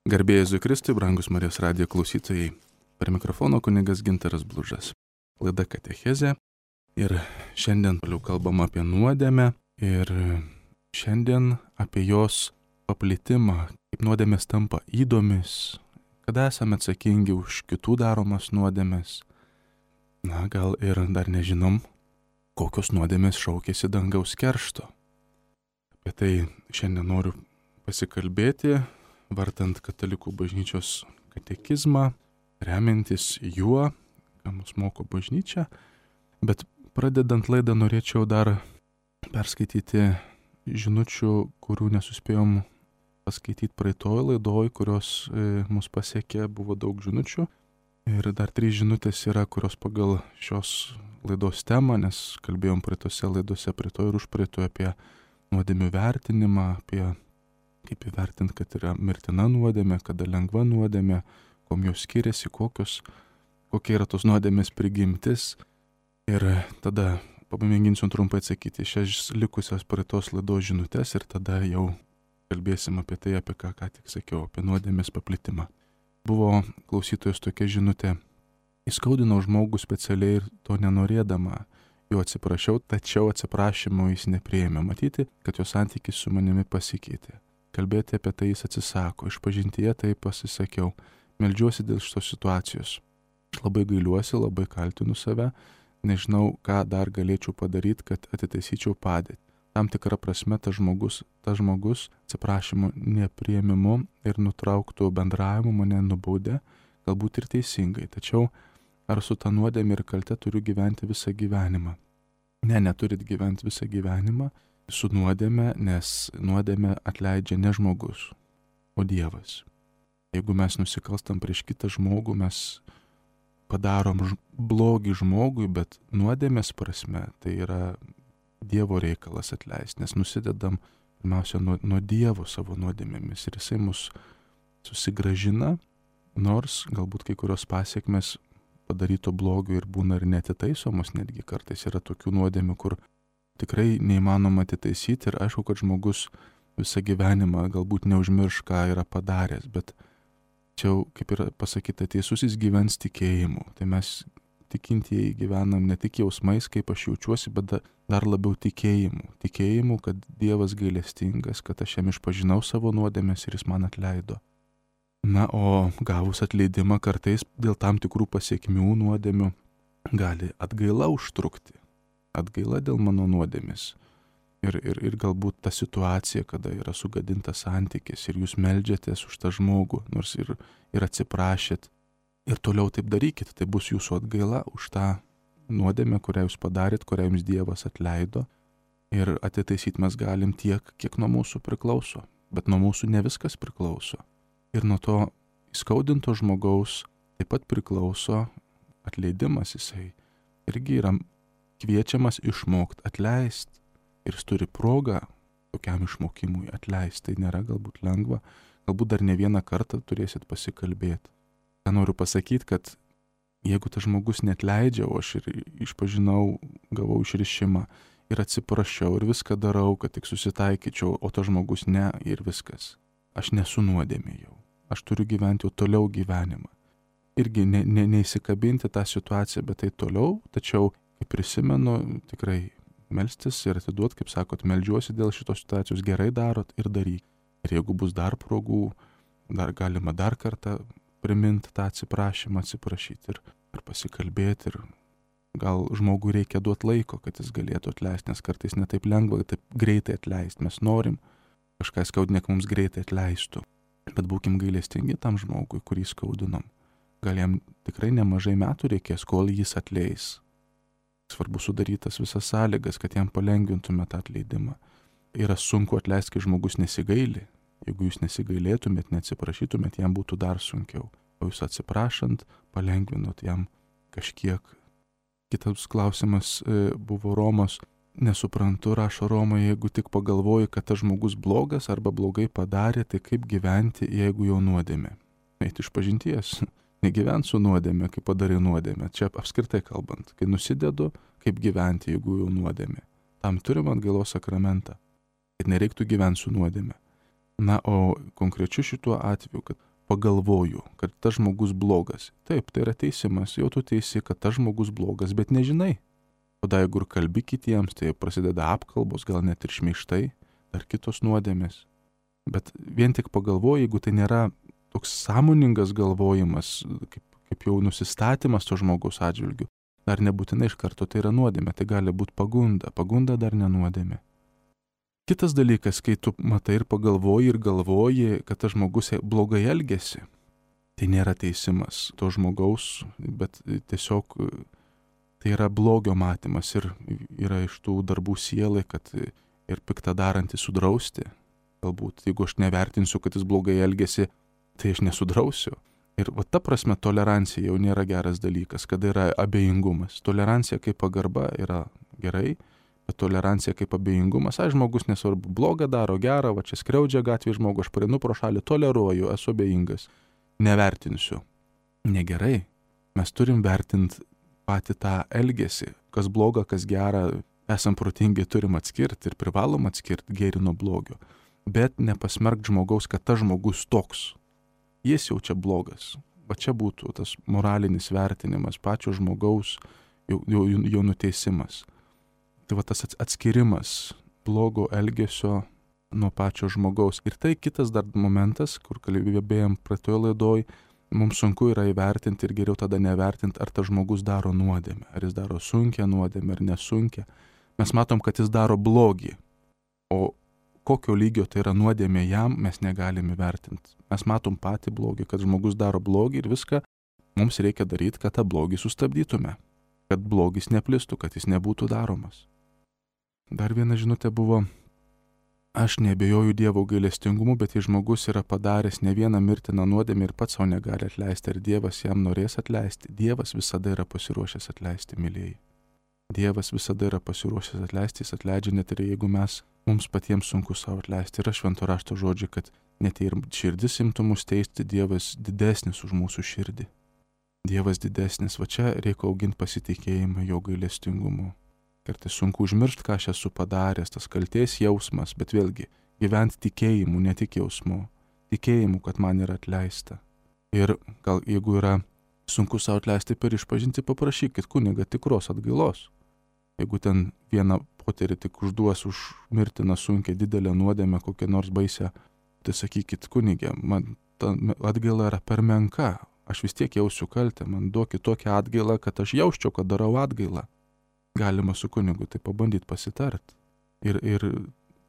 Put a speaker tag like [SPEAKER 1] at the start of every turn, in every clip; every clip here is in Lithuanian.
[SPEAKER 1] Garbė Jėzui Kristui, brangus Marijos radijo klausytojai. Per mikrofono kunigas Gintaras Blužas. Laida Katechezė. Ir šiandien toliau kalbam apie nuodėmę ir šiandien apie jos paplitimą, kaip nuodėmės tampa ydomis, kada esame atsakingi už kitų daromas nuodėmės. Gal ir dar nežinom, kokios nuodėmės šaukėsi dangaus keršto. Apie tai šiandien noriu pasikalbėti, vartant Katalikų bažnyčios katekizmą, remiantis juo, ką mus moko bažnyčia. Bet pradedant laidą norėčiau dar perskaityti žinučių, kurių nesuspėjom paskaityti praeitoj laidoj, kurios mus pasiekė, buvo daug žinučių. Ir dar 3 žinutės yra, kurios pagal šios laidos temą, nes kalbėjom praeitose laidose, praeitoj ir užpraeitoj apie nuodėmių vertinimą, apie kaip įvertinti, kad yra mirtina nuodėmė, kada lengva nuodėmė, kuom jos skiriasi, kokia yra tos nuodėmės prigimtis. Ir tada pamėginsiu trumpai atsakyti šias likusias praeitos laidos žinutės ir tada jau kalbėsim apie tai, apie ką tik sakiau, apie nuodėmės paplitimą. Buvo klausytojos tokia žinutė: įskaudinau žmogų specialiai ir to nenorėdama, jo atsiprašiau, tačiau atsiprašymo jis nepriėmė. Matyti, kad jo santykis su manimi pasikeitė. Kalbėti apie tai jis atsisako. Išpažintyje tai pasisakiau. Meldžiuosi dėl šitos situacijos. Aš labai gailiuosi, labai kaltinu save. Nežinau, ką dar galėčiau padaryti, kad atitaisyčiau padėtį. Tam tikrą prasme tas žmogus atsiprašymo nepriėmimu ir nutrauktų bendravimu mane nubaudė, galbūt ir teisingai. Tačiau ar su ta nuodėmė ir kalte turiu gyventi visą gyvenimą? Ne, neturit gyventi visą gyvenimą su nuodėme, nes nuodėmę atleidžia ne žmogus, o Dievas. Jeigu mes nusikalstam prieš kitą žmogų, mes padarom blogį žmogui, bet nuodėmės prasme tai yra Dievo reikalas atleisti, nes nusidedam pirmiausia nuo Dievo savo nuodėmėmis ir jisai mus susigrąžina, nors galbūt kai kurios pasiekmes padaryto blogio ir būna ir netitaisomos, netgi kartais yra tokių nuodėmių, kur tikrai neįmanoma atitaisyti ir aišku, kad žmogus visą gyvenimą galbūt neužmirš, ką yra padaręs, bet čia, kaip yra pasakyta, teisusis gyvens tikėjimu. Tai mes tikintieji gyvenam ne tik jausmais, kaip aš jaučiuosi, bet dar labiau tikėjimu. Tikėjimu, kad Dievas gailestingas, kad aš jam išpažinau savo nuodėmes ir jis man atleido. Na, o gavus atleidimą kartais dėl tam tikrų pasiekmių nuodėmių gali atgaila užtrukti. Atgaila dėl mano nuodėmis. Ir galbūt ta situacija, kada yra sugadintas santykis ir jūs meldžiatės už tą žmogų, nors ir atsiprašėt. Ir toliau taip darykit, tai bus jūsų atgaila už tą nuodėmę, kurią jūs padarėt, kurią jums Dievas atleido. Ir atitaisyti mes galim tiek, kiek nuo mūsų priklauso. Bet nuo mūsų ne viskas priklauso. Ir nuo to įskaudinto žmogaus taip pat priklauso atleidimas. Jisai irgi yra kviečiamas išmokti atleisti. Ir jis turi progą tokiam išmokimui atleisti. Tai nėra galbūt lengva. Galbūt dar ne vieną kartą turėsit pasikalbėti. Ką noriu pasakyti, kad jeigu tas žmogus neatleidžia, o aš ir išpažinau, gavau išrišimą ir atsiprašiau ir viską darau, kad tik susitaikyčiau, o tas žmogus ne ir viskas. Aš nesu nuodėmė jau. Aš turiu gyventi jau toliau gyvenimą. Irgi neįsikabinti tą situaciją, bet tai toliau, tačiau, kaip prisimenu, tikrai melstis ir atiduoti, kaip sakot, meldžiuosi dėl šitos situacijos, gerai darot ir daryk. Ir jeigu bus dar progų, dar galima dar kartą priminti tą atsiprašymą, atsiprašyti ir pasikalbėti. Ir gal žmogui reikia duoti laiko, kad jis galėtų atleisti, nes kartais netaip lengva, taip greitai atleisti. Mes norim kažką skaudinėk mums greitai atleistų. Bet būkim gailestingi tam žmogui, kurį skaudinom. Gal jam tikrai nemažai metų reikės, kol jis atleis. Svarbu sudarytas visas sąlygas, kad jam palengvintume tą atleidimą. Yra sunku atleisti, kai žmogus nesigaili. Jeigu jūs nesigailėtumėt, neatsiprašytumėt, jam būtų dar sunkiau. O jūs atsiprašant, palengvinot jam kažkiek. Kitas klausimas buvo Romos. Nesuprantu, rašo Roma, jeigu tik pagalvoji, kad tas žmogus blogas arba blogai padarė, tai kaip gyventi, jeigu jau nuodėmė? Eiti išpažinties. Negyvent su nuodėmė, kai padarai nuodėmę. Čia apskritai kalbant. Kai nusidedu, kaip gyventi, jeigu jau nuodėmė. Tam turim atgailos sakramentą. Kad nereiktų gyventi su nuodėmė. Na, o konkrečiu šituo atveju, kad pagalvoju, kad tas žmogus blogas. Taip, tai yra teisimas, jau tu teisi, kad tas žmogus blogas, bet nežinai. Tada jeigu ir kalbi kitiems, tai prasideda apkalbos, gal net ir šmeižtai, ar kitos nuodėmės. Bet vien tik pagalvoju, jeigu tai nėra toks sąmoningas galvojimas, kaip jau nusistatymas to žmogaus atžvilgiu, dar nebūtinai iš karto tai yra nuodėmė, tai gali būti pagunda. Pagunda dar nenuodėmė. Kitas dalykas, kai tu matai ir pagalvoji ir galvoji, kad tas žmogus blogai elgesi, tai nėra teisimas to žmogaus, bet tiesiog tai yra blogio matymas ir yra iš tų darbų sielai, kad ir piktą darantį sudrausti. Galbūt, jeigu aš nevertinsiu, kad jis blogai elgesi, tai aš nesudrausiu. Ir va ta prasme tolerancija jau nėra geras dalykas, kada yra abejingumas. Tolerancija kaip pagarba yra gerai, bet tolerancija kaip abejingumas, žmogus nesvarbu, blogą daro, gerą, va čia skriaudžia gatvėje žmogų, aš praeinu pro šalį, toleruoju, esu abejingas, nevertinsiu. Negerai, mes turim vertinti patį tą elgesį, kas bloga, kas gera, esam protingi, turim atskirti ir privalom atskirti gėrį nuo blogio, bet nepasmerkt žmogaus, kad tas žmogus toks, jis jau čia blogas, va čia būtų tas moralinis vertinimas, pačio žmogaus jo nuteisimas. Tai va tas atskirimas blogo elgesio nuo pačio žmogaus. Ir tai kitas dar momentas, kur kalbėjom praeitoje laidoj, mums sunku yra įvertinti ir geriau tada nevertinti, ar tas žmogus daro nuodėmę, ar jis daro sunkią nuodėmę ar nesunkią. Mes matom, kad jis daro blogį, o kokio lygio tai yra nuodėmė jam, mes negalim įvertinti. Mes matom patį blogį, kad žmogus daro blogį ir viską mums reikia daryti, kad tą blogį sustabdytume, kad blogis neplistų, kad jis nebūtų daromas. Dar viena žinutė buvo, aš neabejoju Dievo gailestingumu, bet jei žmogus yra padaręs ne vieną mirtiną nuodėmę ir pats savo negali atleisti, ar Dievas jam norės atleisti? Dievas visada yra pasiruošęs atleisti, mylėjai. Dievas visada yra pasiruošęs atleisti, jis atleidžia net ir jeigu mums patiems sunku savo atleisti. Yra švento rašto žodžiai, kad net ir širdis imtų mus teisti, Dievas didesnis už mūsų širdį. Dievas didesnis, va čia reikia auginti pasitikėjimą jo gailestingumu. Kartais sunku užmiršti, ką aš esu padaręs, tas kaltės jausmas, bet vėlgi gyventi tikėjimu, ne tik jausmu. Tikėjimu, kad man yra atleista. Ir gal jeigu yra sunku savo atleisti per išpažinti, paprašykit kunigą tikros atgailos. Jeigu ten vieną poterį tik užduos už mirtiną sunkią didelę nuodėmę, kokią nors baisę, tai sakykit kunigė, man ta atgaila yra per menka, aš vis tiek jausiu kaltę, man duokit tokią atgailą, kad aš jausčiau, kad darau atgailą. Galima su kunigu tai pabandyti pasitart. Ir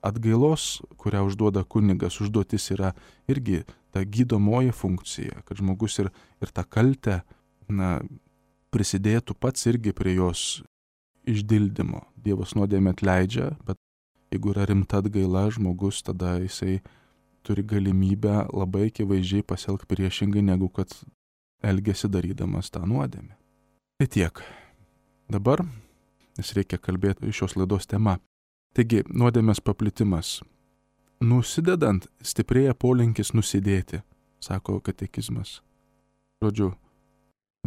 [SPEAKER 1] atgailos, kurią užduoda kunigas, užduotis yra irgi ta gydomoji funkcija, kad žmogus ir tą kaltę prisidėtų pats irgi prie jos išdildymo. Dievas nuodėmę atleidžia, bet jeigu yra rimta atgaila, žmogus tada jisai turi galimybę labai akivaizdžiai pasielgti priešingai, negu kad elgesi darydamas tą nuodėmę. Tai tiek. Dabar nes reikia kalbėti šios laidos tema. Taigi, nuodėmės paplitimas. Nusidedant, stiprėja polinkis nusidėti, sako katekizmas. Žodžiu,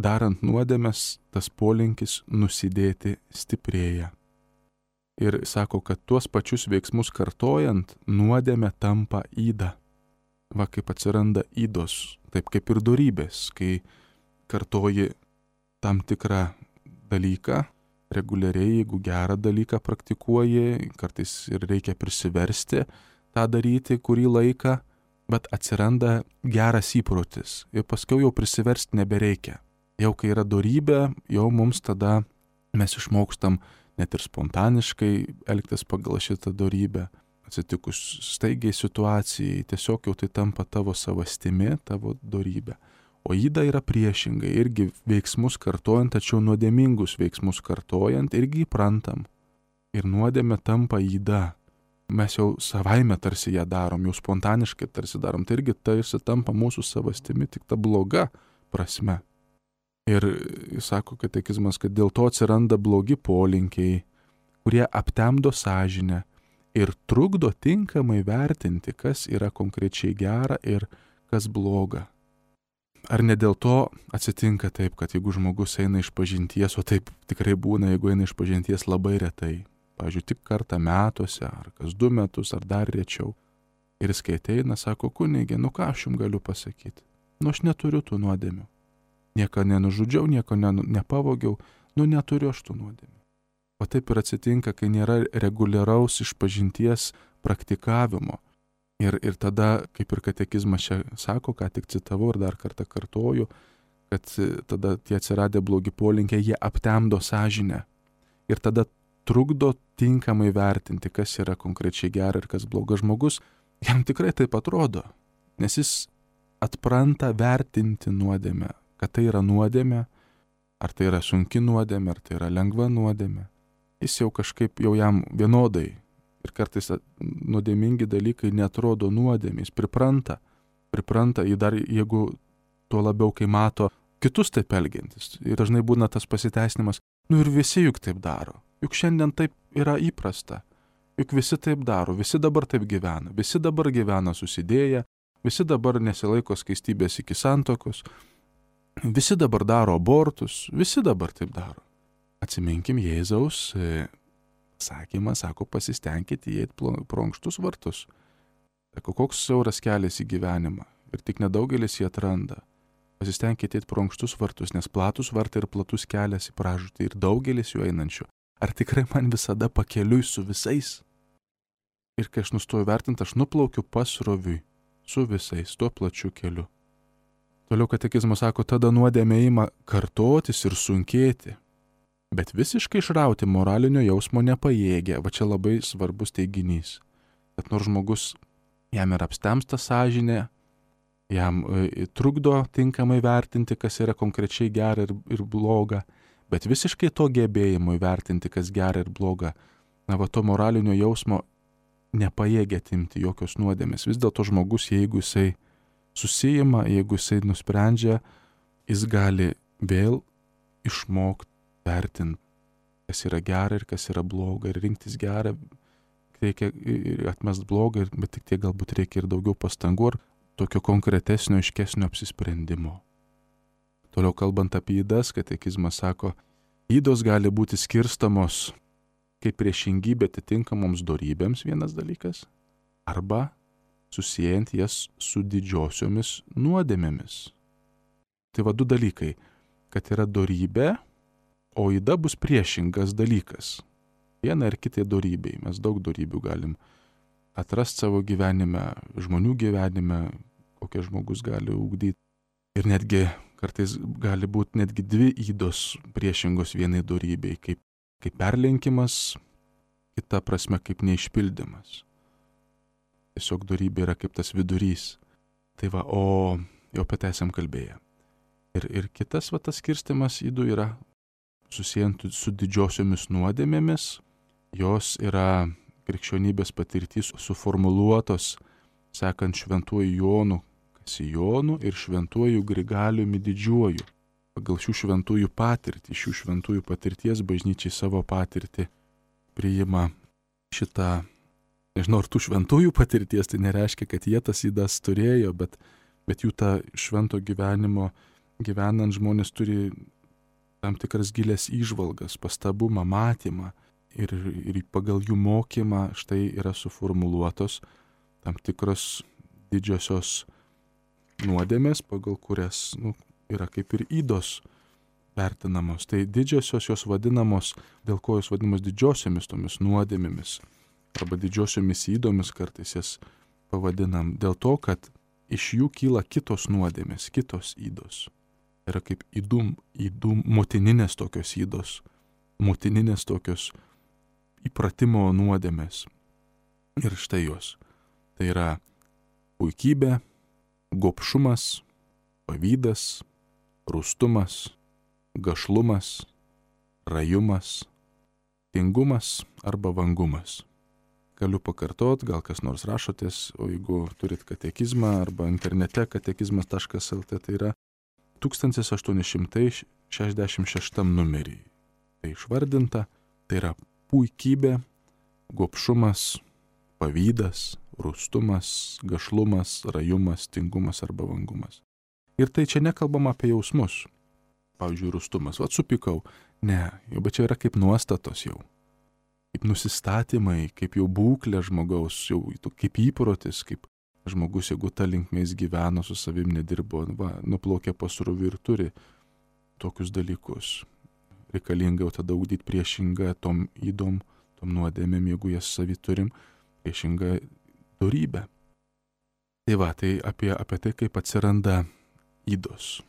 [SPEAKER 1] darant nuodėmės, tas polinkis nusidėti stiprėja. Ir sako, kad tuos pačius veiksmus kartojant, nuodėmė tampa yda. Va kaip atsiranda ydos, taip kaip ir dorybės, kai kartoji tam tikrą dalyką, reguliariai, jeigu gerą dalyką praktikuoji, kartais ir reikia prisiversti tą daryti kurį laiką, bet atsiranda geras įprotis ir paskui jau prisiversti nebereikia. Jau kai yra dorybė, jau mums tada mes išmokstam net ir spontaniškai elgtis pagal šitą dorybę. Atsitikus staigiai situacijai, tiesiog jau tai tampa tavo savastimi, tavo dorybė. O yda yra priešingai, irgi veiksmus kartojant, tačiau nuodėmingus veiksmus kartojant, irgi įprantam. Ir nuodėmė tampa yda. Mes jau savaime tarsi ją darom, jau spontaniškai tarsi darom, tai irgi tarsi tampa mūsų savastimi, tik ta bloga prasme. Ir sako katekizmas, kad dėl to atsiranda blogi polinkiai, kurie aptemdo sąžinę ir trukdo tinkamai vertinti, kas yra konkrečiai gera ir kas bloga. Ar ne dėl to atsitinka taip, kad jeigu žmogus eina išpažinties, o taip tikrai būna, jeigu eina išpažinties labai retai, pavyzdžiui, tik kartą metuose, ar kas 2 metus, ar dar rečiau, ir jis kai ateina, sako, kunigė, ką aš jums galiu pasakyti? aš neturiu tų nuodėmių. Nieko nenužudžiau, nieko nepavogiau, neturiu aš tų nuodėmių. O taip ir atsitinka, kai nėra reguliaraus išpažinties praktikavimo. Ir tada, kaip ir katekizmas čia sako, ką tik citavau ir dar kartą kartoju, kad tada tie atsiradę blogi polinkiai, jie aptemdo sąžinę. Ir tada trukdo tinkamai vertinti, kas yra konkrečiai gera ir kas blogas žmogus. Jam tikrai taip atrodo, nes jis atpranta vertinti nuodėmę, kad tai yra nuodėmė, ar tai yra sunki nuodėmė, ar tai yra lengva nuodėmė. Jis jau kažkaip jau jam vienodai. Ir kartais nuodėmingi dalykai netrodo nuodėmės, pripranta į dar, jeigu tuo labiau, kai mato kitus taip elgiantis. Ir dažnai būna tas pasiteisinimas, ir visi juk taip daro, juk šiandien taip yra įprasta, juk visi taip daro, visi dabar taip gyvena, visi dabar gyvena susidėję, visi dabar nesilaiko skaistybės iki santuokos, visi dabar daro abortus, visi dabar taip daro. Atsiminkim Jėzaus sakymą, sako, pasistengkite įeiti pro ankštus vartus. Sako, koks siauras kelias į gyvenimą ir tik nedaugelis jį atranda. Pasistengkite įeiti pro ankštus vartus, nes platus vartai ir platus kelias į pražūtį ir daugelis jų einančių. Ar tikrai man visada pakeliui su visais? Ir kai aš nustoju vertinti, aš nuplaukiu pasroviui su visais, tuo plačiu keliu. Toliau katekizmas sako, tada nuodėmė ima kartotis ir sunkėti. Bet visiškai išrauti moralinio jausmo nepajėgia. Va čia labai svarbus teiginys. Kad nors žmogus, jam ir apstemsta sąžinė, jam trukdo tinkamai vertinti, kas yra konkrečiai gera ir bloga, bet visiškai to gebėjimo įvertinti, kas gera ir bloga, to moralinio jausmo nepajėgia atimti jokios nuodėmės. Vis dėlto žmogus, jeigu jisai susijima, jeigu jisai nusprendžia, jis gali vėl išmokti vertinti, kas yra gera ir kas yra bloga, ir rinktis gerą, reikia atmest blogą, bet tik tiek galbūt reikia ir daugiau pastangų ir tokio konkretesnio, aiškesnio apsisprendimo. Toliau kalbant apie ydas, katekizmas sako, ydos gali būti skirstamos kaip priešingybė atitinkamoms dorybėms vienas dalykas, arba susijęjant jas su didžiosiomis nuodėmėmis. Tai du dalykai, kad yra dorybė, o yda bus priešingas dalykas. Viena ir kitai dorybei. Mes daug dorybių galim atrasti savo gyvenime, žmonių gyvenime, kokie žmogus gali ugdyti. Ir netgi kartais gali būti netgi dvi ydos priešingos vienai dorybei, kaip perlenkimas, kita prasme kaip neišpildymas. Tiesiog dorybė yra kaip tas vidurys. Tai o jau apie tai esam kalbėję. Ir kitas tas skirstimas ydų yra susijęs su didžiosiomis nuodėmėmis. Jos yra krikščionybės patirtys suformuluotos sekant šventuoju Jonu Kasijonu ir šventuoju Grigaliumi Didžiuoju. Pagal šių šventųjų patirtį, šių šventųjų patirties bažnyčiai savo patirtį priima šitą, nežinau, ar tų šventųjų patirties, tai nereiškia, kad jie tas ydas turėjo, bet jų tą švento gyvenimo gyvenant žmonės turi tam tikras gilės įžvalgas, pastabumą, matymą ir pagal jų mokymą štai yra suformuluotos tam tikros didžiosios nuodėmės, pagal kurias yra kaip ir ydos vertinamos. Tai didžiosios jos vadinamos, dėl ko jos vadinamos didžiosiomis tomis nuodėmėmis arba didžiosiomis ydomis kartais jas pavadinam, dėl to, kad iš jų kyla kitos nuodėmės, kitos ydos. Yra kaip ydų motininės tokios ydos, motininės tokios įpratimo nuodėmės. Ir štai jos. Tai yra puikybė, gobšumas, pavydas, rūstumas, gašlumas, rajumas, tingumas arba vangumas. Galiu pakartot, gal kas nors rašotės, o jeigu turit katekizmą arba internete katekizmas.lt, tai yra 1866 numerį. Tai išvardinta, tai yra puikybė, gobšumas, pavydas, rūstumas, gašlumas, rajumas, tingumas arba vangumas. Ir tai čia nekalbama apie jausmus. Pavyzdžiui, rūstumas. Supykau. Ne, bet čia yra kaip nuostatos jau. Kaip nusistatymai, kaip jau būklė žmogaus, jau kaip įprotis, kaip Žmogus, jeigu ta linkme jis gyveno, su savim nedirbo, nuplaukė pasroviui ir turi tokius dalykus. Reikalinga jau tada ugdyti priešingą tom ydom, tom nuodėmėm, jeigu jas savy turim, priešingą dorybę. Tai apie tai, kaip atsiranda ydos.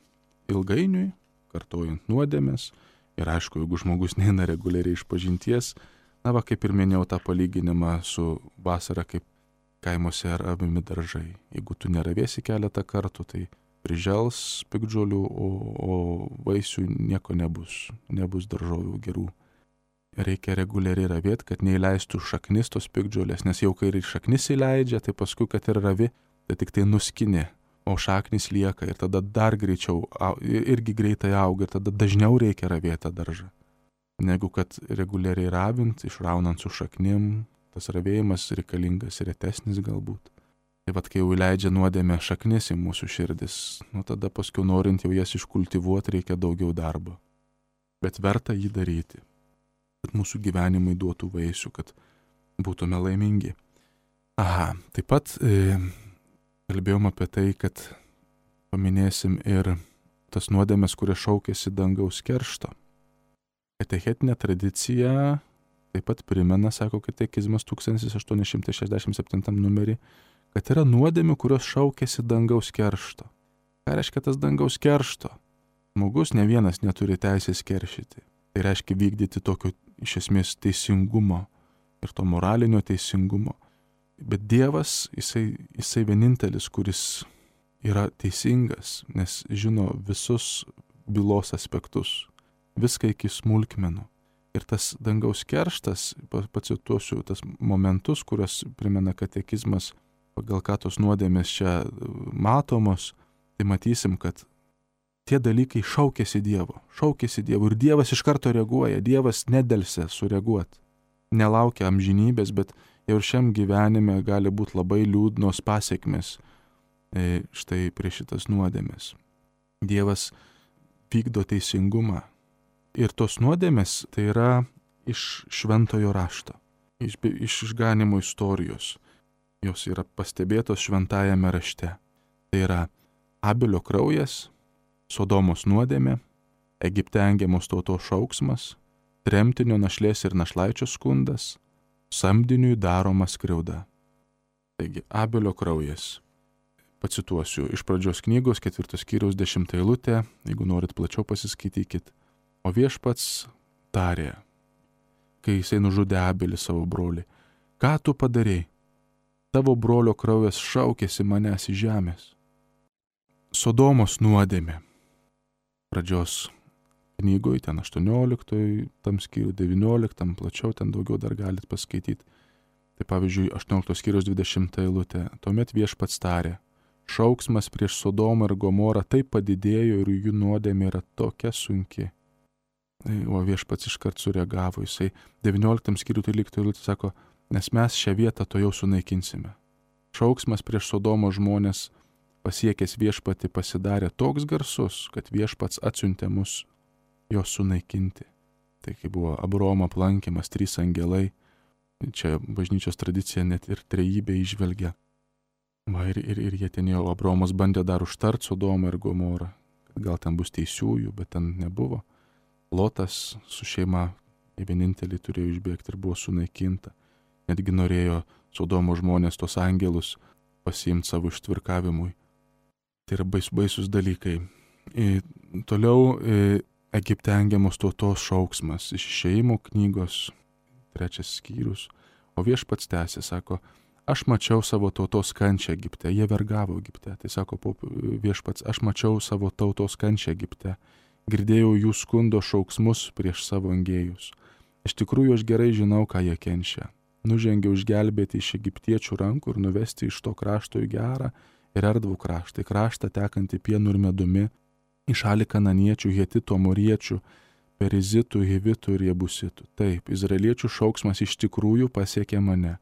[SPEAKER 1] Ilgainiui, kartojant nuodėmės, ir aišku, jeigu žmogus neina reguliariai iš pažinties, kaip ir minėjau tą palyginimą su vasara, kaip kaimuose ravimi daržai. Jeigu tu neravėsi keletą kartų, tai prižels piktžolių, o vaisių nieko nebus. Nebus daržovių gerų. Reikia reguliariai ravėti, kad neįleistų šaknis tos piktžolės, nes jau kai ir šaknis įleidžia, tai paskui, kad ir ravi, tai tik tai nuskinė, o šaknis lieka ir tada dar greičiau, irgi greitai auga ir tada dažniau reikia ravėti daržą. Negu kad reguliariai ravint, išraunant su šaknim, tas ravėjimas reikalingas retesnis galbūt. Tai kai jau įleidžia nuodėmę šaknis į mūsų širdis, tada paskui norint jau jas iškultivuoti reikia daugiau darbo. Bet verta jį daryti, kad mūsų gyvenimai duotų vaisių, kad būtume laimingi. Taip pat kalbėjom apie tai, kad paminėsim ir tas nuodėmės, kurie šaukėsi dangaus keršto. Katechetinė tradicija taip pat primena, sako katekizmas 1867 numerį, kad yra nuodėmių, kurios šaukėsi dangaus keršto. Ką reiškia tas dangaus keršto? Žmogus ne vienas neturi teisės keršyti. Tai reiškia vykdyti tokio iš esmės teisingumo ir to moralinio teisingumo. Bet Dievas, jisai vienintelis, kuris yra teisingas, nes žino visus bylos aspektus, viską iki smulkmenų. Ir tas dangaus kerštas, pacituosiu tas momentus, kuriuos primena katekizmas, pagal ką tos nuodėmės čia matomos, tai matysim, kad tie dalykai šaukėsi Dievo ir Dievas iš karto reaguoja, Dievas nedelsia sureaguoti, nelaukia amžinybės, bet jau ir šiam gyvenime gali būti labai liūdnos pasekmės štai prieš šitas nuodėmės. Dievas vykdo teisingumą. Ir tos nuodėmės tai yra iš šventojo rašto, iš išganimo istorijos. Jos yra pastebėtos šventajame rašte. Tai yra Abelio kraujas, Sodomos nuodėmė, Egipte engiamos tautos šauksmas, tremtinio našlės ir našlaičio skundas, samdiniui daroma skriauda. Taigi, Abelio kraujas. Pacituosiu iš pradžios knygos 4 skyriaus 10 eilutę, jeigu norit plačiau pasiskaitykit. O viešpats tarė, kai jisai nužudė Abelį savo brolį, ką tu padarei? Tavo brolio kraujas šaukėsi manęs iš žemės. Sodomos nuodėmė. Pradžios knygoje, ten 18, tam skyriui 19, plačiau ten daugiau dar galit paskaityti. Tai pavyzdžiui, 18 skyriaus 20 eilutė. Tuomet viešpats tarė, šauksmas prieš Sodomą ir Gomorą taip padidėjo ir jų nuodėmė yra tokia sunki. O viešpats iškart sureagavo, jisai 19 skyrių 13 eilutė sako, nes mes šią vietą to jau sunaikinsime. Šauksmas prieš Sodomo žmonės pasiekęs viešpatį pasidarė toks garsus, kad viešpats atsiuntė mus jos sunaikinti. Tai kai buvo Abraomo aplankymas, 3 angelai, čia bažnyčios tradicija net ir trejybė įžvelgia. Ir jie ten jau Abraomas bandė dar užtart Sodomą ir Gomorą, kad gal ten bus teisiųjų, bet ten nebuvo. Lotas su šeima vienintelį turėjo išbėgti ir buvo sunaikinta. Netgi norėjo Sodomo žmonės tos angelus pasiimti savo ištvirkavimui. Tai yra baisus dalykai. Toliau Egipte engiamos tautos šauksmas iš Išėjimo knygos 3 skyrius. O viešpats tęsė, sako, aš mačiau savo tautos kančią Egipte, jie vergavo Egipte. Tai sako viešpats, aš mačiau savo tautos kančią Egipte. Girdėjau jų skundo šauksmus prieš savo engėjus. Iš tikrųjų aš gerai žinau, ką jie kenčia. Nužengiau išgelbėti iš egiptiečių rankų ir nuvesti iš to krašto į gerą ir erdvų kraštą, į kraštą tekantį pienu ir medumi, į šalį kananiečių, hetitų, amoriečių, perizitų, hivitų ir jebusitų. Taip, izraeliečių šauksmas iš tikrųjų pasiekė mane.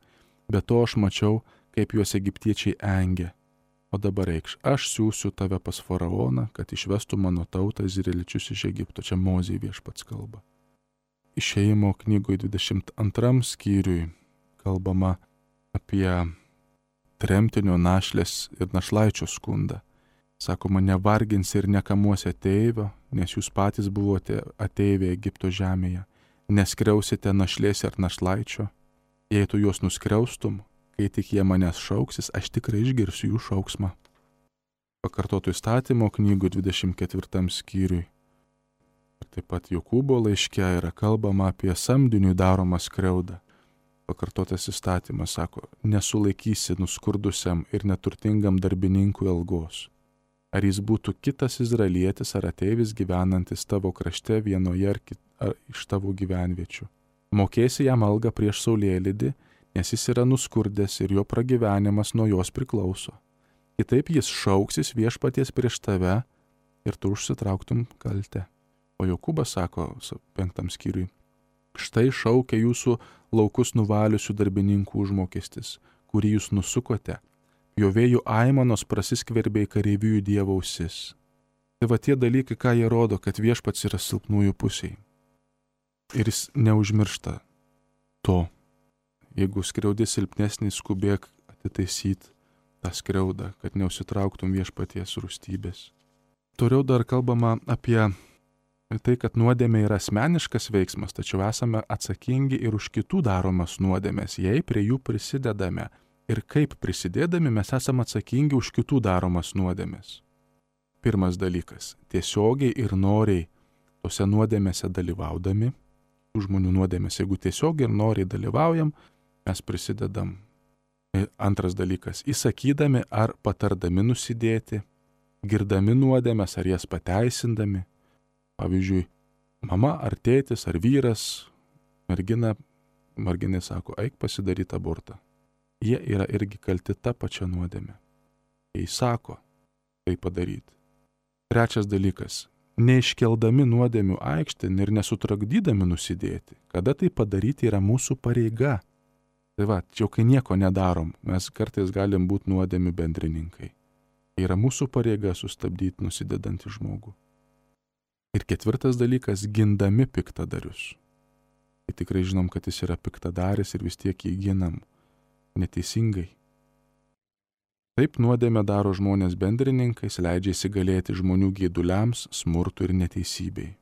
[SPEAKER 1] Be to aš mačiau, kaip juos egiptiečiai engia. O dabar reikš, aš siūsiu tave pas faraoną, kad išvestų mano tautą izraeliečius iš Egipto. Čia Mozei viešpats kalba. Išėjimo knygoje 22 skyriui kalbama apie tremtinio, našlės ir našlaičio skundą. Sakoma, nevarginsi ir nekamuosi ateivio, nes jūs patys buvote ateiviai Egipto žemėje. Neskriausite našlės ar našlaičio. Jei tu juos nuskriaustum, kai tik jie manęs šauksis, aš tikrai išgirsiu jų šauksmą. Pakartotų įstatymo knygų 24 skyriui. Ir taip pat Jokūbo laiške yra kalbama apie samdiniui daromą skriaudą. Pakartotas įstatymas sako, nesulaikysi nuskurdusiam ir neturtingam darbininkui algos. Ar jis būtų kitas izraelietis ar ateivis gyvenantis tavo krašte vienoje ar iš tavo gyvenviečių. Mokėsi jam algą prieš saulėlydį, nes jis yra nuskurdęs ir jo pragyvenimas nuo jos priklauso. Kitaip jis šauksis viešpaties prieš tave ir tu užsitrauktum kaltę. O Jokūbas sako 5 skyriui, štai šaukia jūsų laukus nuvaliusių darbininkų užmokestis, kurį jūs nusukote. Jo vėjų aimanos prasiskverbė į kareivijų Dievo ausis. Tai va tie dalykai, ką jie rodo, kad viešpats yra silpnųjų pusėje. Ir jis neužmiršta to. Jeigu skriaudi silpnesnį, skubėk atitaisyti tą skriaudą, kad neusitrauktum viešpaties rūstybės. Toliau dar kalbama apie tai, kad nuodėmė yra asmeniškas veiksmas, tačiau esame atsakingi ir už kitų daromas nuodėmės, jei prie jų prisidedame. Ir kaip prisidėdami mes esame atsakingi už kitų daromas nuodėmės. Pirmas dalykas – tiesiogiai ir noriai tose nuodėmėse dalyvaudami, žmonių nuodėmės, jeigu tiesiogiai ir noriai dalyvaujam, mes prisidedam. Antras dalykas – įsakydami ar patardami nusidėti, girdami nuodėmės ar jas pateisindami. Pavyzdžiui, mama ar tėtis ar vyras, merginai sako, eik pasidaryti abortą. Jie yra irgi kalti tą pačią nuodėmę. Jei sako, tai padaryti. Trečias dalykas – neiškeldami nuodėmių aikštėn ir nesutrukdydami nusidėti. Kada tai padaryti yra mūsų pareiga. Tai va, jau kai nieko nedarom, mes kartais galim būti nuodėmių bendrininkai. Yra mūsų pareiga sustabdyti nusidedantį žmogų. Ir ketvirtas dalykas – gindami piktadarius. Tai tikrai žinom, kad jis yra piktadaris ir vis tiek jį ginam. Neteisingai. Taip nuodėmė daro žmonės bendrininkais, leidžia įsigalėti žmonių geiduliams, smurtui ir neteisybei.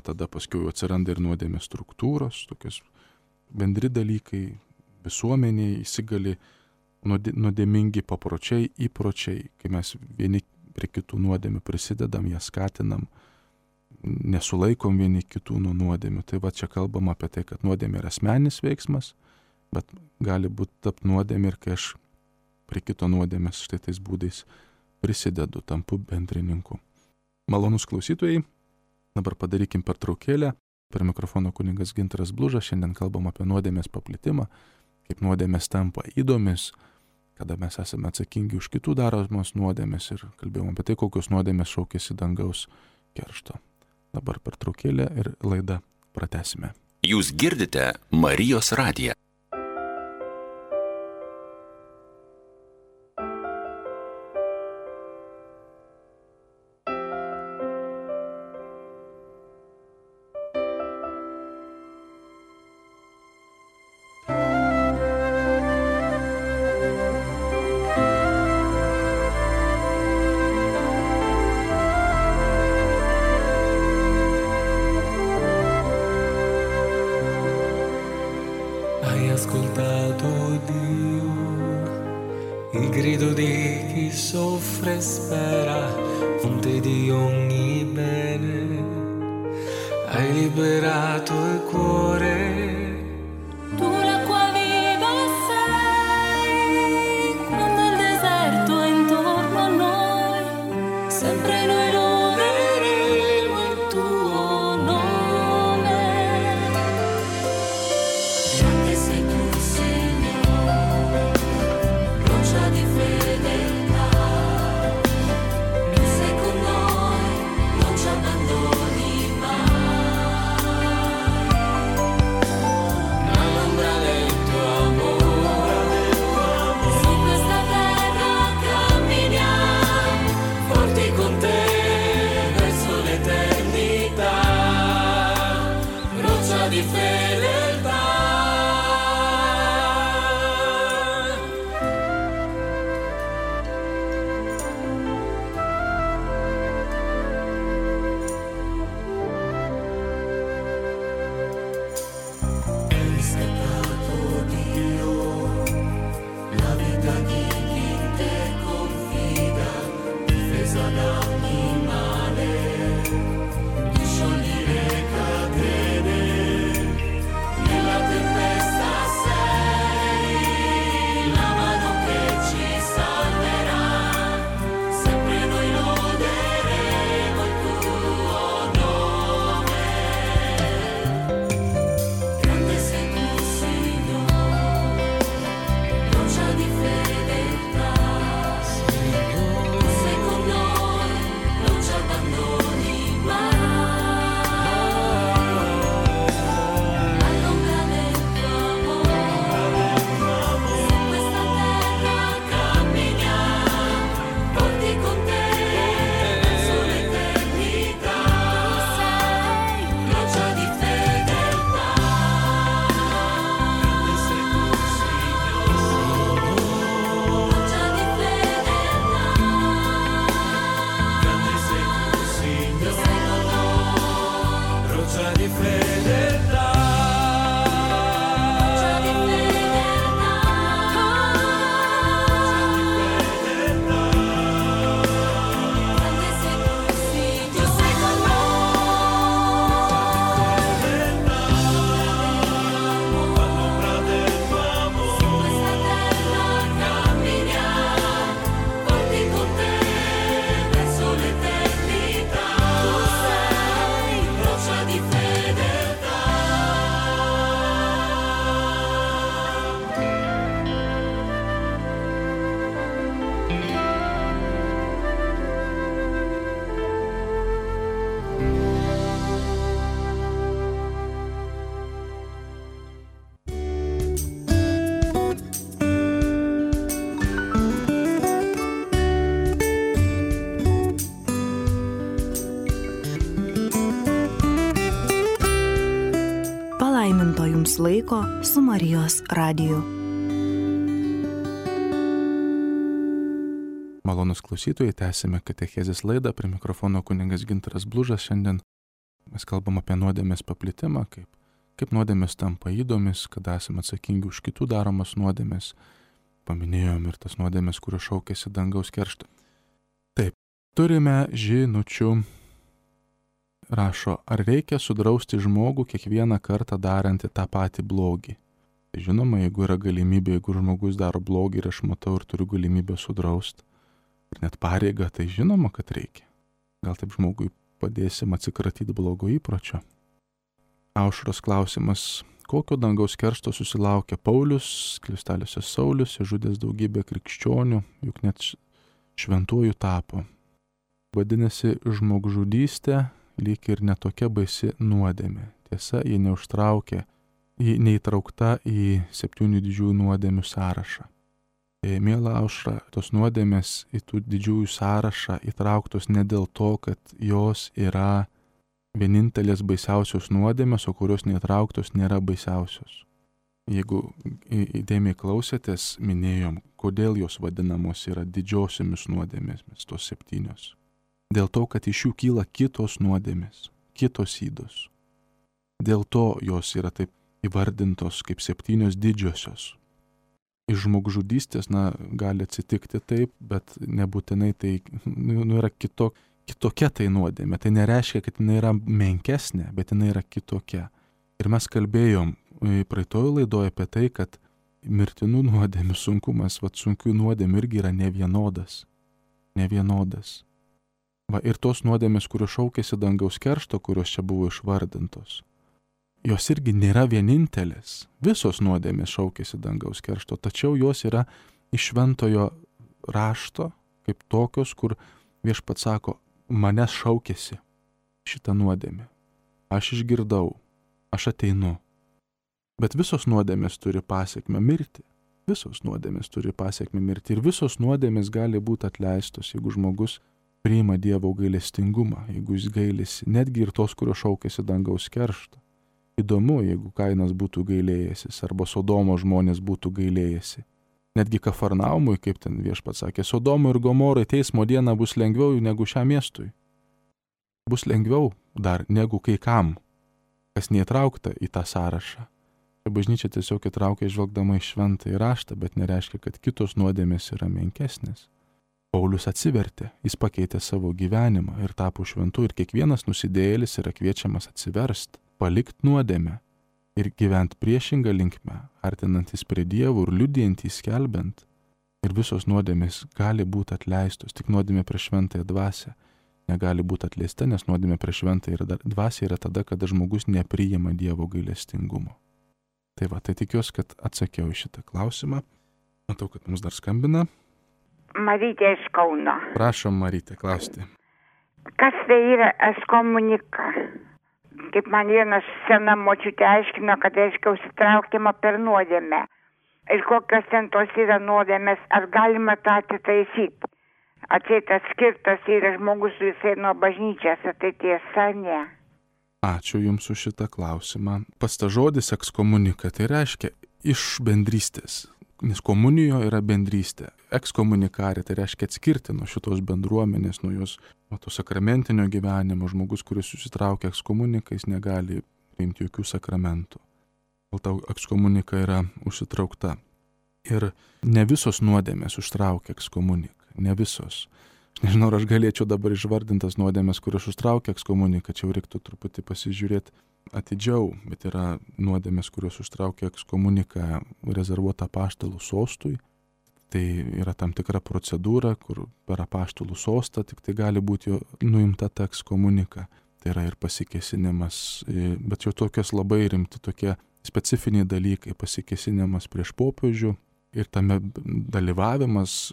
[SPEAKER 1] Tada paskui atsiranda ir nuodėmės struktūros, tokios bendri dalykai, visuomeniai įsigali nuodėmingi papročiai, įpročiai, kai mes vieni prie kitų nuodėmių prisidedam, jas skatinam, nesulaikom vieni kitų nuo nuodėmių. Tai va čia kalbam apie tai, kad nuodėmė yra asmeninis veiksmas, bet gali būti tapt nuodėmė ir kai aš prie kito nuodėmės štai tais būdais prisidedu, tampu bendrininku. Malonus klausytojai, dabar padarykim pertraukėlę. Per mikrofono kunigas Gintaras Blužas, šiandien kalbam apie nuodėmės paplitimą, kaip nuodėmės tampa įdomis, kada mes esame atsakingi už kitų daromos nuodėmės ir kalbėjom apie tai, kokios nuodėmės šaukėsi dangaus keršto. Dabar pertraukėlę ir laidą pratęsime.
[SPEAKER 2] Jūs girdite Marijos radiją.
[SPEAKER 3] Hai ascoltato Dio, il grido di chi soffre e spera, fonte di ogni bene, hai liberato il cuore.
[SPEAKER 4] Tu l'acqua viva sei, quando il deserto è intorno a noi, sempre noi loderemo il tuo nome. Grande sei tu, Signore, roccia di fedeltà, tu sei con noi, non ci abbandoni mai.
[SPEAKER 5] laiko su Marijos radiju.
[SPEAKER 1] Malonus klausytojai, tęsime katechezės laidą, prie mikrofono kunigas Gintaras Blužas. Šiandien mes kalbam apie nuodėmės paplitimą, kaip nuodėmės tampa įdomis, kada esame atsakingi už kitų daromas nuodėmės. Paminėjom ir tas nuodėmės, kurios šaukėsi dangaus kerštą. Taip, turime žinučių. Rašo, ar reikia sudrausti žmogų kiekvieną kartą darantį tą patį blogį? Tai žinoma, jeigu yra galimybė, jeigu žmogus daro blogį ir aš matau ir turiu galimybę sudrausti, ir net pareigą, tai žinoma, kad reikia. Gal taip žmogui padėsim atsikratyti blogo įpročio. Aušros klausimas, kokio dangaus keršto susilaukė Paulius, skliausteliuose Saulius, žudęs daugybę krikščionių, juk net šventuoju tapo. Vadinasi, žmogžudystė lyg ir netokia baisi nuodėmė. Tiesa, ji neįtraukta į 7 didžiųjų nuodėmių sąrašą. Miela Aušra, tos nuodėmės į tų didžiųjų sąrašą įtrauktos ne dėl to, kad jos yra vienintelės baisiausios nuodėmės, o kurios neįtrauktos nėra baisiausios. Jeigu įdėmiai klausėtės, minėjom, kodėl jos vadinamos yra didžiosiomis nuodėmėmis, tos 7. Dėl to, kad iš jų kyla kitos nuodėmės, kitos ydos. Dėl to jos yra taip įvardintos kaip 7 didžiosios. Iš žmogžudystės, gali atsitikti taip, bet nebūtinai tai yra kitokia tai nuodėmė. Tai nereiškia, kad jinai yra menkesnė, bet jinai yra kitokia. Ir mes kalbėjom praeitoje laidoje apie tai, kad mirtinų nuodėmių sunkumas, sunkių nuodėmių irgi yra nevienodas. Nevienodas. Ir tos nuodėmės, kurios šaukėsi dangaus keršto, kurios čia buvo išvardintos, jos irgi nėra vienintelės. Visos nuodėmės šaukėsi dangaus keršto, tačiau jos yra iš šventojo rašto, kaip tokios, kur viešpats sako, manęs šaukėsi šitą nuodėmę. Aš išgirdau, aš ateinu. Bet visos nuodėmės turi pasekmę mirti. Visos nuodėmės turi pasekmę mirti. Ir visos nuodėmės gali būti atleistos, jeigu žmogus priima Dievo gailestingumą, jeigu jis gailisi, netgi ir tos, kurios šaukėsi dangaus kerštą. Įdomu, jeigu Kainas būtų gailėjęsis, arba Sodomo žmonės būtų gailėjęsi. Netgi Kafarnaumui, kaip ten viešpats sakė, Sodomui ir Gomorai teismo diena bus lengviau negu šiam miestui. Bus lengviau dar negu kai kam, kas neįtraukta į tą sąrašą. Bažnyčia tiesiog įtraukia žvelgdama į šventąjį raštą, bet nereiškia, kad kitos nuodėmės yra menkesnės. Paulius atsivertė, jis pakeitė savo gyvenimą ir tapo šventu, ir kiekvienas nusidėjėlis yra kviečiamas atsiversti, palikti nuodėmę ir gyventi priešingą linkmę, artinantis prie Dievo ir liudijantys skelbiant. Ir visos nuodėmės gali būti atleistos, tik nuodėmė prieš šventąją dvasią negali būti atleista, nes nuodėmė prieš šventąją dvasią yra tada, kada žmogus nepriima Dievo gailestingumo. Tai tikiuosi, kad atsakiau į šitą klausimą. Matau, kad mums dar skambina.
[SPEAKER 6] Marytė iš Kauno.
[SPEAKER 1] Prašom, Marytė, klausti.
[SPEAKER 6] Kas tai yra ekskomunika? Kaip man vienas sena močiutė aiškino, kad reiškia užsitraukimą per nuodėmę. Ir kokios ten tos yra nuodėmės, ar galima tą atitaisyti? Atseit atskirtas yra žmogus visai nuo bažnyčios, ar tai tiesa, ne?
[SPEAKER 1] Ačiū Jums už šitą klausimą. Pats tas žodis ekskomunika, tai reiškia iš bendrystės. Nes komunijo yra bendrystė. Ekskomunikarė, tai reiškia atskirti nuo šitos bendruomenės, nuo jos, nuo to sakramentinio gyvenimo. Žmogus, kuris susitraukia ekskomunikais, negali priimti jokių sakramentų. Dėl to ekskomunika yra užsitraukta. Ir ne visos nuodėmės užtraukia ekskomuniką. Ne visos. Aš nežinau, ar aš galėčiau dabar išvardintas nuodėmės, kurios užtraukia ekskomuniką. Čia jau reiktų truputį pasižiūrėti atidžiau, bet yra nuodėmės, kurios užtraukia ekskomuniką rezervuota apaštalų sostui. Tai yra tam tikra procedūra, kur per apaštalų sostą tik tai gali būti nuimta ta ekskomunika. Tai yra ir pasikėsinimas, bet jau tokios labai rimti tokie specifiniai dalykai, pasikėsinimas prieš popiežių ir tame dalyvavimas,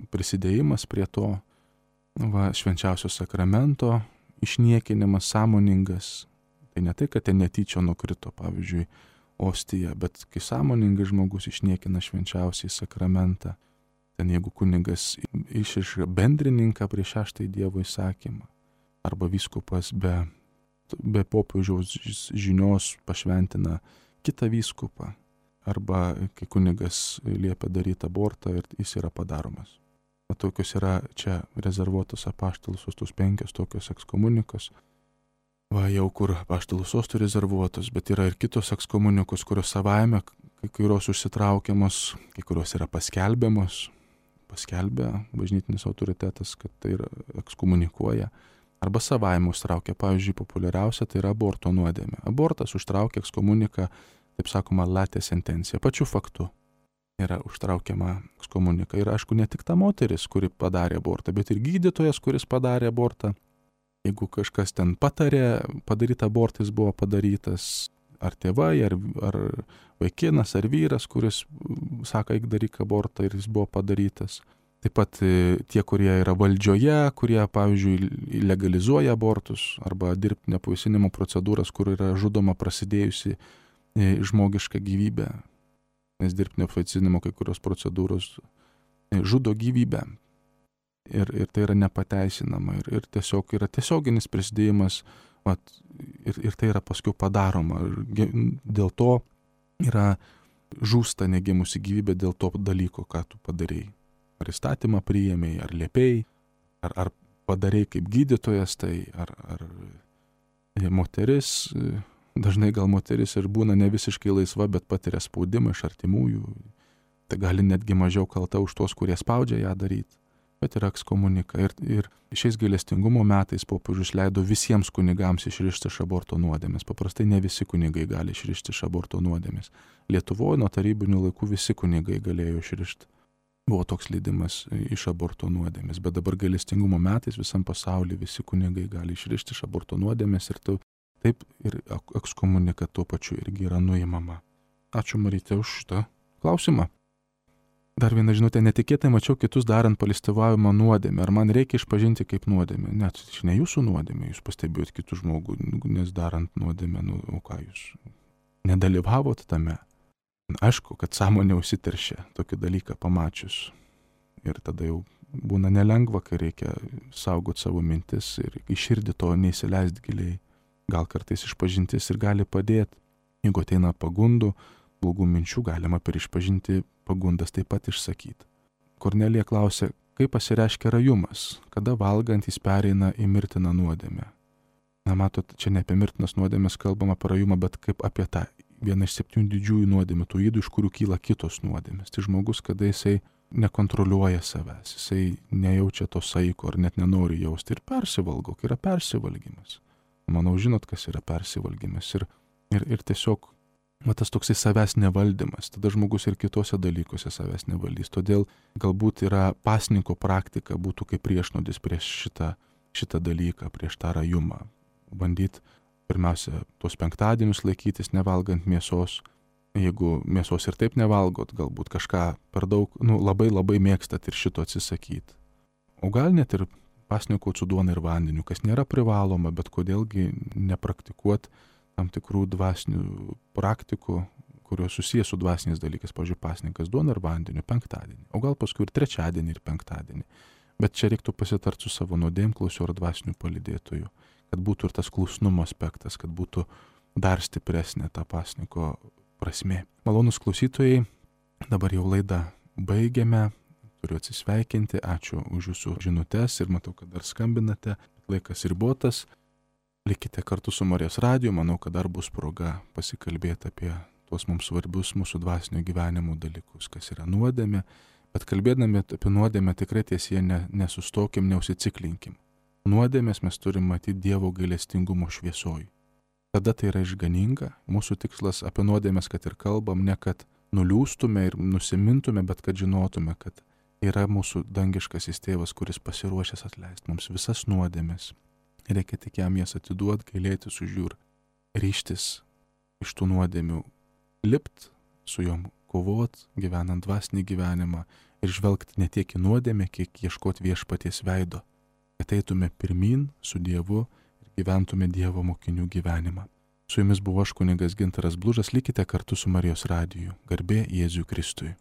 [SPEAKER 1] prisidėjimas prie to, švenčiausio sakramento, išniekinimas sąmoningas. Tai ne tai, kad ten netyčia nukrito, pavyzdžiui, ostija, bet kai sąmoningai žmogus išniekina švenčiausiai sakramentą, ten jeigu kunigas išriša bendrininką prieš 6 Dievo įsakymą, arba vyskupas be popiežiaus žinios pašventina kitą vyskupą, arba kai kunigas liepia daryti abortą ir jis yra padaromas. O tokios yra čia rezervuotos apaštalų sostos 5 tokios ekskomunikos. Va jau kur apaštalų sostų rezervuotos, bet yra ir kitos ekskomunikos, kurios savaime, kai kurios užsitraukiamos, kai kurios yra paskelbiamos. Paskelbia bažnytinis autoritetas, kad tai yra ekskomunikuoja. Arba savaime užtraukia, pavyzdžiui, populiariausia tai yra aborto nuodėmė. Abortas užtraukia ekskomuniką, taip sakoma, latė sentencija, pačiu faktu yra užtraukiama ekskomunika. Ir aišku, ne tik ta moteris, kuri padarė abortą, bet ir gydytojas, kuris padarė abortą. Jeigu kažkas ten patarė, padaryta abortas buvo padarytas, ar tėvai, ar vaikinas, ar vyras, kuris sako, eik daryk abortą ir jis buvo padarytas. Taip pat tie, kurie yra valdžioje, kurie, pavyzdžiui, legalizuoja abortus arba dirbtinio apvaisinimo procedūras, kur yra žudoma prasidėjusi žmogiška gyvybė. Nes dirbtinio apvaisinimo kai kurios procedūros žudo gyvybę. Ir tai yra nepateisinama. Ir tiesiog yra tiesioginis prisidėjimas, ir tai yra paskui padaroma. Dėl to yra žūsta negimusi gyvybė dėl to dalyko, ką tu padarėjai. Ar įstatymą priėmėjai, ar liepėjai, ar padarėjai kaip gydytojas, tai ar moteris, dažnai gal moteris ir būna ne visiškai laisva, bet patiria spaudimą iš artimųjų. Tai gali netgi mažiau kalta už tos, kurie spaudžia ją daryti. Bet yra ekskomunika. Ir šiais gailestingumo metais popiežius leido visiems kunigams išrišti iš aborto nuodėmės. Paprastai ne visi kunigai gali išrišti iš aborto nuodėmės. Lietuvoje nuo tarybinių laikų visi kunigai galėjo išrišti. Buvo toks leidimas iš aborto nuodėmės. Bet dabar gailestingumo metais visam pasaulyje visi kunigai gali išrišti iš aborto nuodėmės ir taip ir ekskomunika tuo pačiu irgi yra nuimama. Ačiū Maryte už šitą klausimą. Dar vieną žinutę, netikėtai mačiau kitus darant palistyvavimą nuodėmę. Ar man reikia išpažinti kaip nuodėmę? Net ne jūsų nuodėmė, jūs pastebėjot kitų žmogų, nes darant nuodėmę, o ką jūs nedalyvavot tame? Aišku, kad sąmonė užsiteršia tokį dalyką pamačius. Ir tada jau būna nelengva, kai reikia saugoti savo mintis ir į širdį to neįsileisti giliai. Gal kartais išpažintis ir gali padėti. Jeigu ateina pagundų, blogų minčių, galima per išpažinti pagundas taip pat išsakyti. Kornelija klausė, kaip pasireiškia rajumas, kada valgant jis pereina į mirtiną nuodėmę. Na, matot, čia ne apie mirtinas nuodėmės kalbama apie rajumą, bet kaip apie tą vieną iš 7 didžiųjų nuodėmių, tų ydų, iš kurių kyla kitos nuodėmės. Tai žmogus, kada jisai nekontroliuoja savęs, jisai nejaučia to saiko ar net nenori jausti ir persivalgo, kai yra persivalgymas. Manau, žinot, kas yra persivalgymas. Ir tiesiog tas toksai savęs nevaldymas, tada žmogus ir kitose dalykuose savęs nevaldys. Todėl galbūt yra pasninko praktika būtų kaip priešnodis prieš šitą dalyką, prieš tą rajumą. Bandyti pirmiausia tuos penktadienius laikytis, nevalgant mėsos. Jeigu mėsos ir taip nevalgot, galbūt kažką per daug, labai labai mėgstat ir šito atsisakyti. O gal net ir pasninkot su duona ir vandeniu, kas nėra privaloma, bet kodėlgi nepraktikuot tam tikrų dvasinių praktikų, kurios susijęs su dvasiniais dalykais, pavyzdžiui, pasninkas duona ir vandeniu penktadienį, o gal paskui ir trečiadienį ir penktadienį. Bet čia reiktų pasitart su savo nuodėmklausiu ar dvasiniu palydėtoju, kad būtų ir tas klusnumo aspektas, kad būtų dar stipresnė ta pasninko prasmė. Malonūs klausytojai, dabar jau laidą baigiame, turiu atsisveikinti, ačiū už jūsų žinutes ir matau, kad dar skambinate, laikas ribotas. Likite kartu su Marijos radiju, manau, kad dar bus proga pasikalbėti apie tuos mums svarbius mūsų dvasinio gyvenimo dalykus, kas yra nuodėmė, bet kalbėdami apie nuodėmę tikrai tiesie nesustokim, neužsiciklinkim. Nuodėmės mes turim matyti Dievo gailestingumo šviesoj. Tada tai yra išganinga, mūsų tikslas apie nuodėmės, kad ir kalbam, ne kad nuliūstume ir nusimintume, bet kad žinotume, kad yra mūsų dangiškasis tėvas, kuris pasiruošęs atleisti mums visas nuodėmės. Reikia tik jam jas atiduoti, gailėtis už jų ir ryžtis iš tų nuodėmių, lipt su jom, kovot, gyvenant dvasinį gyvenimą ir žvelgti ne tiek į nuodėmę, kiek ieškoti viešpaties veido. Ateitume pirmin su Dievu ir gyventume Dievo mokinių gyvenimą. Su jumis buvo aš kunigas Gintaras Blužas, likite kartu su Marijos radiju. Garbė Jėzui Kristui.